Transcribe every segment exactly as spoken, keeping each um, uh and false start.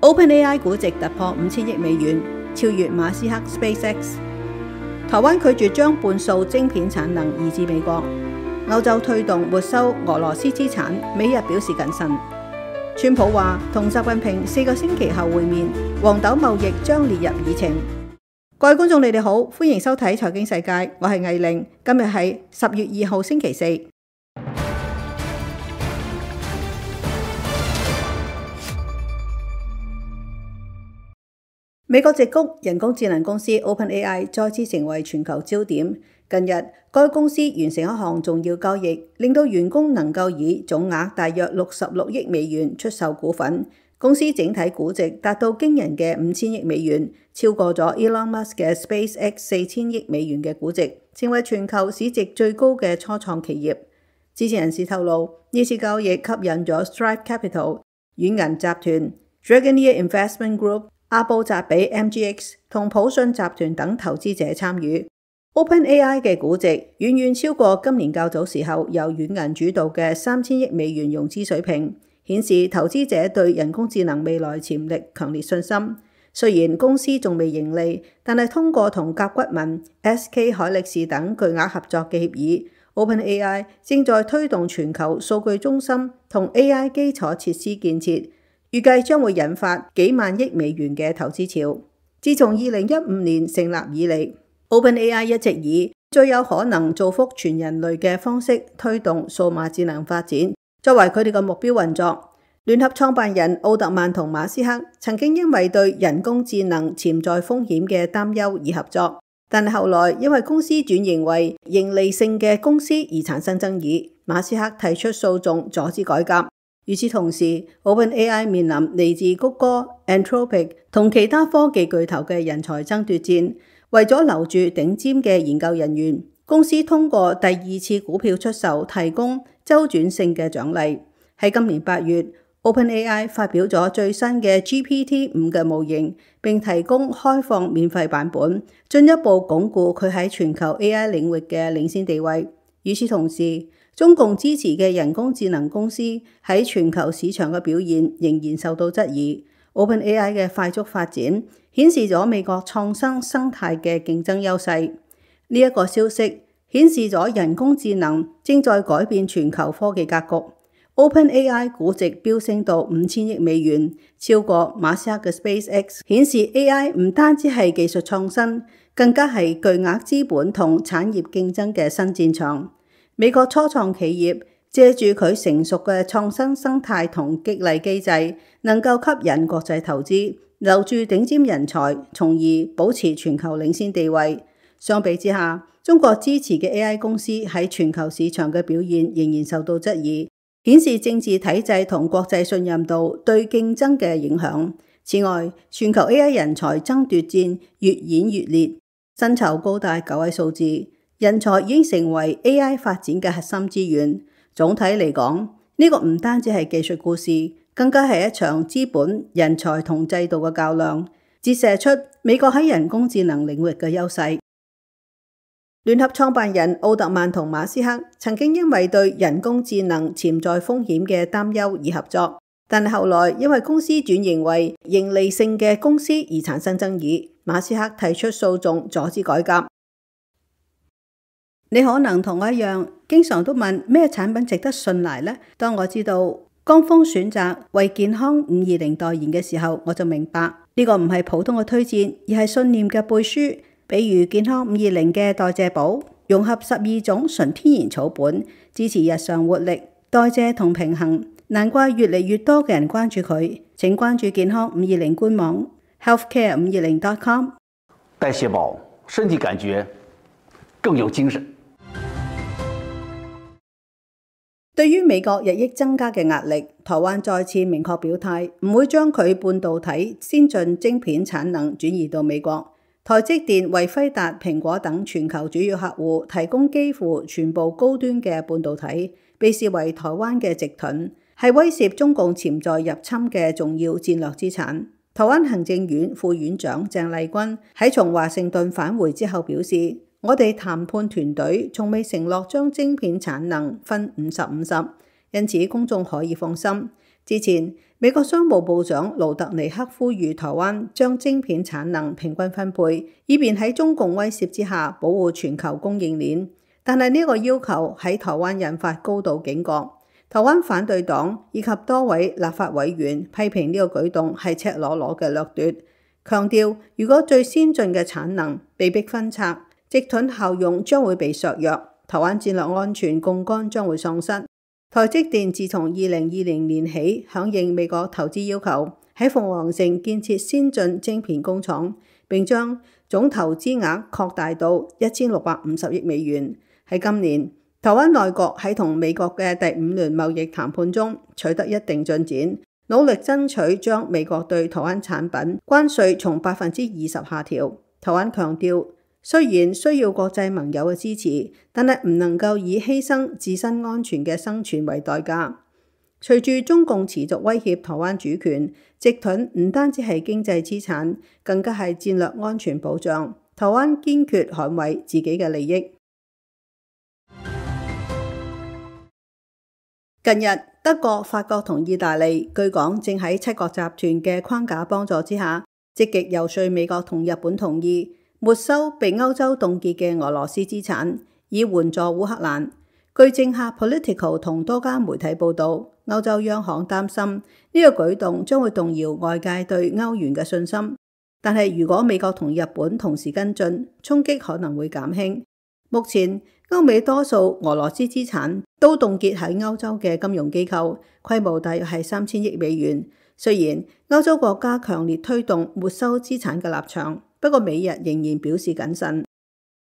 OpenAI 估值突破五千億美元，超越馬斯克 SpaceX。台灣拒絕將半數晶片產能移至美國。歐洲推動沒收俄羅斯資產，美日表示謹慎。川普話同習近平四個星期後會面，黃豆貿易將列入議程。各位觀眾，你哋好，歡迎收睇財經世界，我係藝玲。今日係十月二號星期四。美國矽谷人工智能公司 OpenAI 再次成為全球焦點。近日，該公司完成一項重要交易，令到員工能夠以總額大約六十六億美元出售股份。公司整體估值達到驚人嘅五千億美元，超過咗 Elon Musk 嘅 SpaceX 四千億美元嘅估值，成為全球市值最高嘅初創企業。知情人士透露，呢次交易吸引咗 Strive Capital、軟銀集團、Dragoneer Investment Group、阿布扎比 M G X 同普信集團等投資者參與。OpenAI 嘅估值遠遠超過今年較早時候由軟銀主導嘅三千億美元融資水平，顯示投資者對人工智能未來潛力強烈信心。雖然公司仲未盈利，但係通過同甲骨文、S K 海力士等巨額合作嘅協議， OpenAI 正在推動全球數據中心同 A I 基礎設施建設，預計將會引發幾萬億美元嘅投資潮。自從二零一五年成立以嚟， OpenAI 一直以最有可能造福全人類嘅方式推動數碼智能發展，作為佢哋嘅目標運作。聯合創辦人奧特曼同馬斯克曾經因為對人工智能潛在風險嘅擔憂而合作，但係後來因為公司轉型為盈利性嘅公司而產生爭議，馬斯克提出訴訟阻止改革。與此同時， OpenAI 面臨嚟自谷歌、Anthropic 同其他科技巨頭嘅人才爭奪戰。為咗留住頂尖嘅研究人員，公司通過第二次股票出售提供周轉性嘅獎勵。喺今年八月， OpenAI 發表咗最新嘅 G P T 五 嘅模型，並提供開放免費版本，進一步鞏固佢喺全球 A I 領域嘅領先地位。與此同時，中共支持嘅人工智能公司喺全球市場嘅表現仍然受到質疑。OpenAI 嘅快速發展顯示咗美國創新生態嘅競爭優勢。呢一個消息顯示咗人工智能正在改變全球科技格局。OpenAI 估值飆升到五千億美元，超過馬斯克嘅 SpaceX， 顯示 A I 唔單止係技術創新，更加係巨額資本同產業競爭嘅新戰場。美國初創企業借住佢成熟嘅創新生態同激勵機制，能夠吸引國際投資，留住頂尖人才，從而保持全球領先地位。相比之下，中國支持嘅 A I 公司喺全球市場嘅表現仍然受到質疑，顯示政治體制同國際信任度對競爭嘅影響。此外，全球 A I 人才爭奪戰越演越烈，薪酬高達九位數字，人才已經成為 A I 發展嘅核心資源。總體嚟講，呢個唔單止係技術故事，更加係一場資本、人才同制度嘅較量，折射出美國喺人工智能領域嘅優勢。聯合創辦人奧特曼同馬斯克曾經因為對人工智能潛在風險嘅擔憂而合作，但係後來因為公司轉型為盈利性嘅公司而產生爭議，馬斯克提出訴訟阻止改革。你可能同我一樣，經常都問咩產品值得信賴呢？當我知道江峰選擇為健康五二零代言嘅時候，我就明白呢個唔係普通嘅推薦，而係信念嘅背書。比如健康五二零嘅代謝寶，融合十二種純天然草本，支持日常活力、代謝同平衡。難怪越嚟越多嘅人關注佢。請關注健康五二零官網 healthcare 五二零 dot com。代謝寶，身體感覺更有精神。對於美國日益增加嘅壓力，台灣再次明確表態，唔會將佢半導體先進晶片產能轉移到美國。台積電為輝達、蘋果等全球主要客戶提供幾乎全部高端嘅半導體，被視為台灣嘅直盾，係威懾中共潛在入侵嘅重要戰略資產。台灣行政院副院長鄭麗君喺從華盛頓返回之後表示，我哋談判團隊從未承諾將晶片產能分五十五十，因此公眾可以放心。之前，美國商務部長盧特尼克呼籲台灣將晶片產能平均分配，以便喺中共威脅之下保護全球供應鏈。但係呢個要求喺台灣引發高度警覺。台灣反對黨以及多位立法委員批評呢個舉動係赤裸裸嘅掠奪，強調如果最先進嘅產能被迫分拆，直盾效用將會被削弱，台灣戰略安全槓桿將會喪失。台積電自從二零二零年起響應美國投資要求，喺鳳凰城建設先進晶片工廠，並將總投資額擴大到一千六百五十億美元。喺今年，台灣內閣喺同美國嘅第五輪貿易談判中取得一定進展，努力爭取將美國對台灣產品關稅從百分之二十下調。台灣強調，雖然需要國際盟友嘅支持，但係唔能夠以犧牲自身安全嘅生存為代價。隨住中共持續威脅台灣主權，直盾唔單止係經濟資產，更加係戰略安全保障。台灣堅決捍衛自己嘅利益。近日，德國、法國同意大利據講正喺七國集團嘅框架幫助之下，積極遊說美國同日本同意沒收被歐洲凍結嘅俄羅斯資產，以援助烏克蘭。據政客 Political 同多家媒體報導，歐洲央行擔心呢個舉動將會動搖外界對歐元嘅信心。但係如果美國同日本同時跟進，衝擊可能會減輕。目前歐美多數俄羅斯資產都凍結喺歐洲嘅金融機構，規模大約係三千億美元。雖然歐洲國家強烈推動沒收資產嘅立場，不過美日仍然表示謹慎。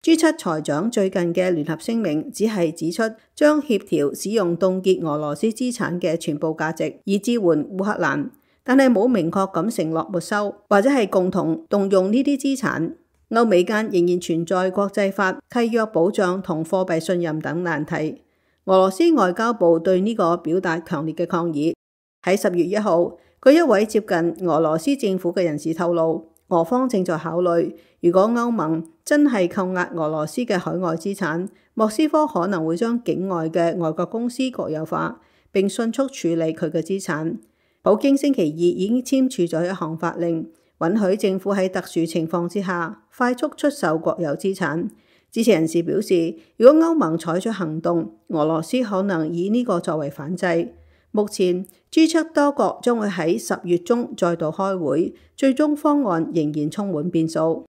G 七財長最近嘅聯合聲明只係指出將協調使用凍結俄羅斯資產嘅全部價值，以支援烏克蘭，但係冇明確咁承諾沒收或者係共同動用呢啲資產。歐美間仍然存在國際法、契約保障同貨幣信任等難題。俄羅斯外交部對呢個表達強烈嘅抗議。喺十月一號，據一位接近俄羅斯政府嘅人士透露，俄方正在考慮，如果歐盟真係扣押俄羅斯嘅海外資產，莫斯科可能會將境外嘅外國公司國有化，並迅速處理佢嘅資產。普京星期二已經簽署咗一項法令，允許政府喺特殊情況之下快速出售國有資產。支持人士表示，如果歐盟採取行動，俄羅斯可能以呢個作為反制。目前 G 七多國將會喺十月中再度開會，最終方案仍然充滿變數。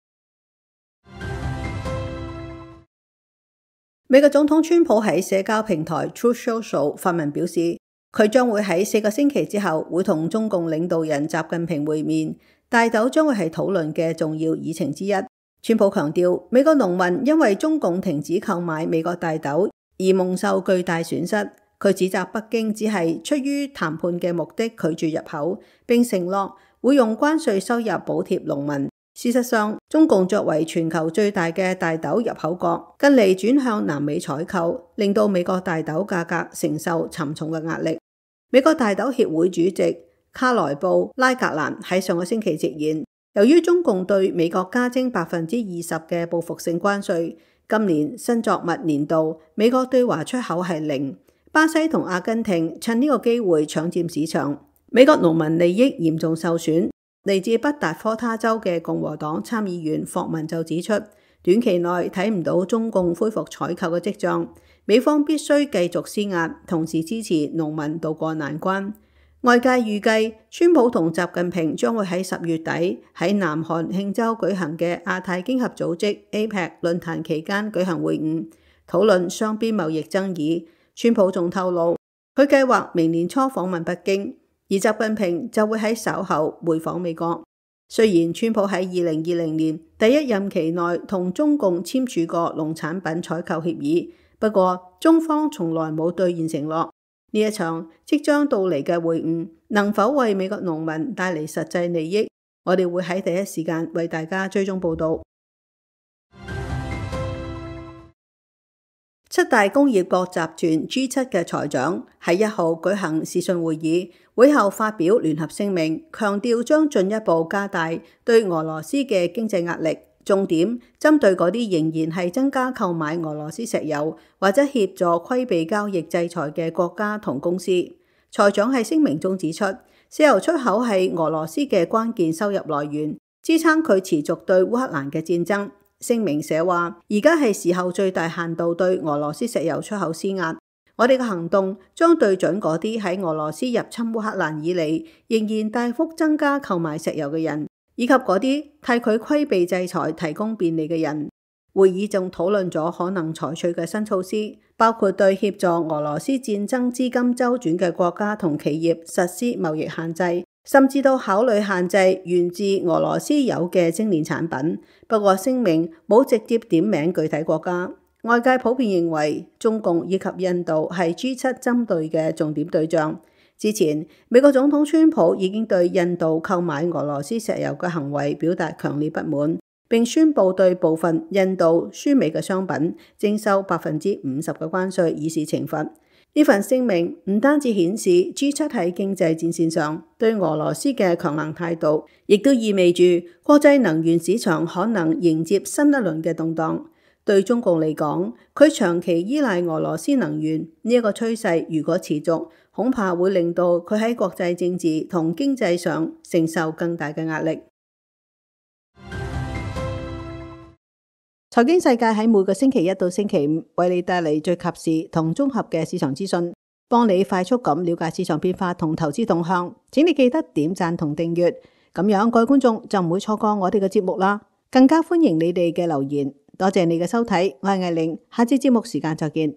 美國總統川普喺社交平台 Truth Social 發文表示，佢將會喺四個星期之後會同中共領導人習近平會面，大豆將會係討論嘅重要議程之一。川普強調，美國農民因為中共停止購買美國大豆而蒙受巨大損失。佢指責北京只係出於談判嘅目的拒絕入口，並承諾會用關稅收入補貼農民。事實上，中共作為全球最大嘅大豆入口國，近嚟轉向南美採購，令到美國大豆價格承受沉重嘅壓力。美國大豆協會主席卡萊布拉格蘭喺上個星期直言，由於中共對美國加徵百分之二十嘅報復性關稅，今年新作物年度美國對華出口係零。巴西同阿根廷趁呢個機會搶佔市場，美國農民利益嚴重受損。嚟自北達科他州嘅共和黨參議員霍文就指出，短期內睇唔到中共恢復採購嘅跡象，美方必須繼續施壓，同時支持農民渡過難關。外界預計，川普同習近平將會喺十月底喺南韓慶州舉行嘅亞太經合組織 A P E C 論壇期間舉行會晤，討論雙邊貿易爭議。川普仲透露，佢計劃明年初訪問北京，而習近平就會喺稍後回訪美國。雖然川普喺二零二零年第一任期內同中共簽署過農產品採購協議，不過中方從來冇兌現承諾。呢一場即將到嚟嘅會晤，能否為美國農民帶嚟實際利益？我哋會喺第一時間為大家追蹤報道。七大工業國集團 G 七嘅財長喺一號舉行視訊會議，會後發表聯合聲明，強調將進一步加大對俄羅斯嘅經濟壓力，重點針對嗰啲仍然係增加購買俄羅斯石油或者協助規避交易制裁嘅國家同公司。財長喺聲明中指出，石油出口係俄羅斯嘅關鍵收入來源，支撐佢持續對烏克蘭嘅戰爭。聲明寫話，而家係時候最大限度對俄羅斯石油出口施壓。我哋嘅行動將對準嗰啲喺俄羅斯入侵烏克蘭以嚟仍然大幅增加購買石油嘅人，以及嗰啲替佢規避制裁提供便利嘅人。會議仲討論咗可能採取嘅新措施，包括對協助俄羅斯戰爭資金周轉嘅國家同企業實施貿易限制，甚至到考慮限制源自俄羅斯有嘅精煉產品。不過聲明冇直接點名具體國家。外界普遍認為中共以及印度係 G 七針對嘅重點對象。之前美國總統川普已經對印度購買俄羅斯石油嘅行為表達強烈不滿，並宣布對部分印度輸美嘅商品徵收百分之五十嘅關稅，以示懲罰。呢份聲明唔單止顯示 G 七喺經濟戰線上對俄羅斯嘅強硬態度，亦都意味住國際能源市場可能迎接新一輪嘅動盪。對中共嚟講，佢長期依賴俄羅斯能源呢一個趨勢，如果持續，恐怕會令到佢喺國際政治同經濟上承受更大嘅壓力。財經世界喺每個星期一到星期五為你帶嚟最及時同綜合嘅市場資訊，幫你快速咁了解市場變化同投資動向。請你記得點讚同訂閱，咁樣各位觀眾就唔會錯過我哋嘅節目啦。更加歡迎你哋嘅留言。多謝你嘅收睇，我係艾玲，下次節目時間再見。